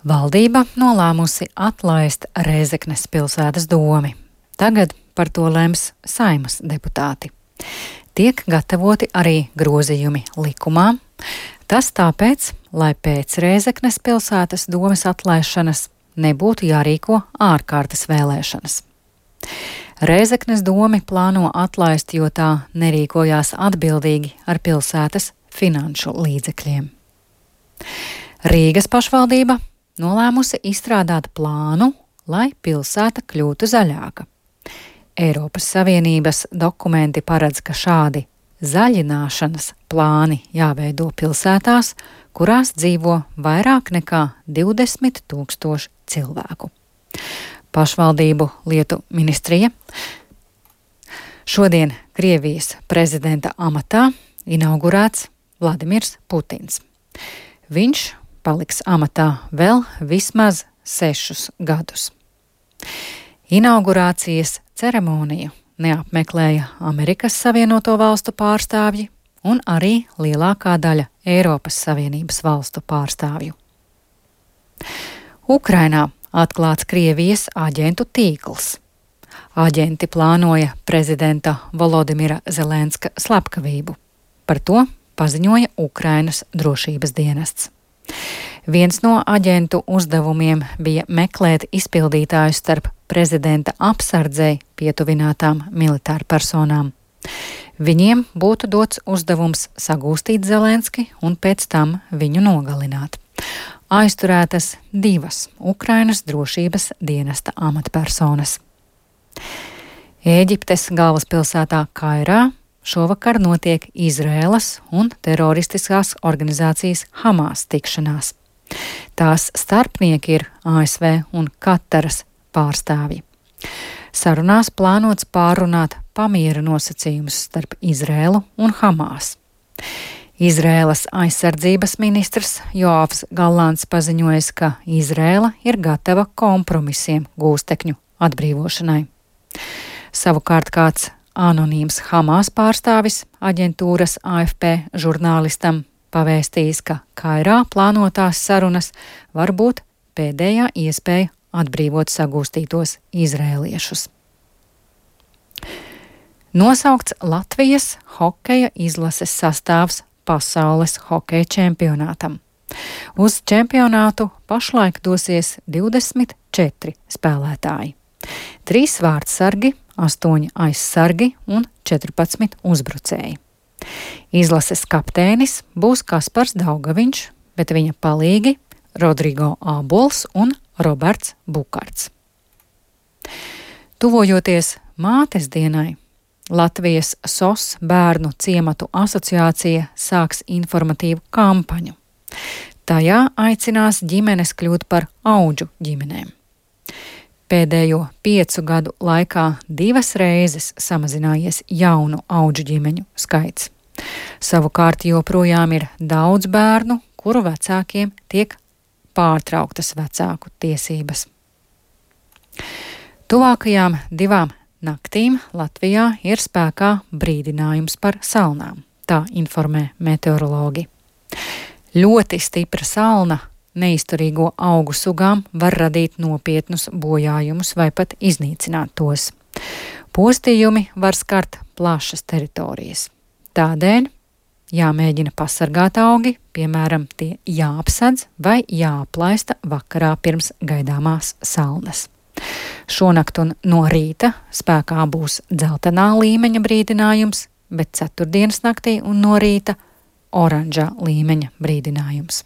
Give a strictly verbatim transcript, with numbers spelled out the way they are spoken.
Valdība nolēmusi atlaist Rēzeknes pilsētas domi. Tagad par to lems Saeimas deputāti. Tiek gatavoti arī grozījumi likumā. Tas tāpēc, lai pēc Rēzeknes pilsētas domes atlaišanas nebūtu jārīko ārkārtas vēlēšanas. Rēzeknes domi plāno atlaist, jo tā nerīkojās atbildīgi ar pilsētas finanšu līdzekļiem. Rīgas pašvaldība nolēmusi izstrādāt plānu, lai pilsēta kļūtu zaļāka. Eiropas Savienības dokumenti paredz, ka šādi zaļināšanas plāni jāveido pilsētās, kurās dzīvo vairāk nekā divdesmit tūkstoši cilvēku. Pašvaldību lietu ministrija šodien Krievijas prezidenta amatā inaugurēts Vladimirs Putins. Viņš paliks amatā vēl vismaz sešus gadus. Inaugurācijas ceremoniju neapmeklēja Amerikas Savienoto valstu pārstāvji un arī lielākā daļa Eiropas Savienības valstu pārstāvju. Ukrainā atklāts Krievijas aģentu tīkls. Aģenti plānoja prezidenta Volodimira Zelenska slepkavību. Par to paziņoja Ukrainas drošības dienests. Viens no aģentu uzdevumiem bija meklēt izpildītājus starp prezidenta apsardzei pietuvinātām militārpersonām. Viņiem būtu dots uzdevums sagūstīt Zelenski un pēc tam viņu nogalināt. Aizturētas divas Ukrainas drošības dienesta amatpersonas. Ēģiptes galvaspilsētā Kairā šovakar notiek Izraēlas un teroristiskās organizācijas Hamas tikšanās. Tās starpnieki ir A S V un Kataras pārstāvji. Sarunās plānots pārunāt pamiera nosacījumus starp Izraēlu un Hamas. Izraēlas aizsardzības ministrs Joavs Gallants paziņoja, ka Izraēla ir gatava kompromisiem gūstekņu atbrīvošanai. Savukārt kāds anonīms Hamas pārstāvis aģentūras A F P žurnālistam pavēstījis, ka Kairā plānotās sarunas var būt pēdējā iespēja atbrīvot sagūstītos izrēliešus. Nosaukts Latvijas hokeja izlases sastāvs pasaules hokeja čempionātam. Uz čempionātu pašlaik dosies divdesmit četri spēlētāji. Trīs vārdsargi, astoņi aizsargi un četrpadsmit uzbrucēji. Izlases kapteinis būs Kaspars Daugaviņš, bet viņa palīgi Rodrigo Ābols un Roberts Bukarts. Tuvojoties mātes dienai, Latvijas S O S bērnu ciematu asociācija sāks informatīvu kampaņu. Tajā aicinās ģimenes kļūt par audžu ģimenēm. Pēdējo piecu gadu laikā divas reizes samazinājies jaunu audžu ģimeņu skaits. Savukārt joprojām ir daudz bērnu, kuru vecākiem tiek pārtrauktas vecāku tiesības. Tuvākajām divām naktīm Latvijā ir spēkā brīdinājums par salnām, tā informē meteorologi. Ļoti stipra salna neizturīgo augu sugām var radīt nopietnus bojājumus vai pat iznīcināt tos. Postījumi var skart plašas teritorijas. Tādēļ jāmēģina pasargāt augi, piemēram, tie jāapsedz vai jāaplaista vakarā pirms gaidāmās salnas. Šonakt un no rīta spēkā būs dzeltenā līmeņa brīdinājums, bet ceturtdienas naktī un no rīta oranžā līmeņa brīdinājums.